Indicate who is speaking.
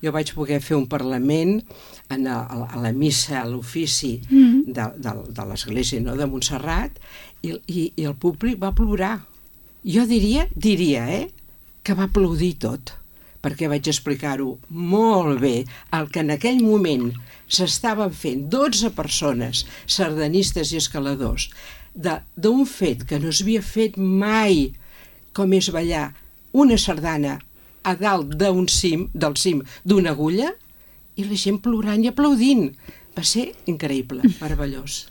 Speaker 1: Jo vaig poder fer un parlament a la missa, a l'ofici de l'església, no?, de Montserrat, i el públic va plorar. Jo diria, que va aplaudir tot, perquè vaig explicar-ho molt bé, el que en aquell moment s'estaven fent 12 persones, sardanistes i escaladors, d'un fet que no s'havia fet mai, com és ballar una sardana a dalt del cim d'una agulla, i la gent plorant i aplaudint. Va ser increïble, meravellós.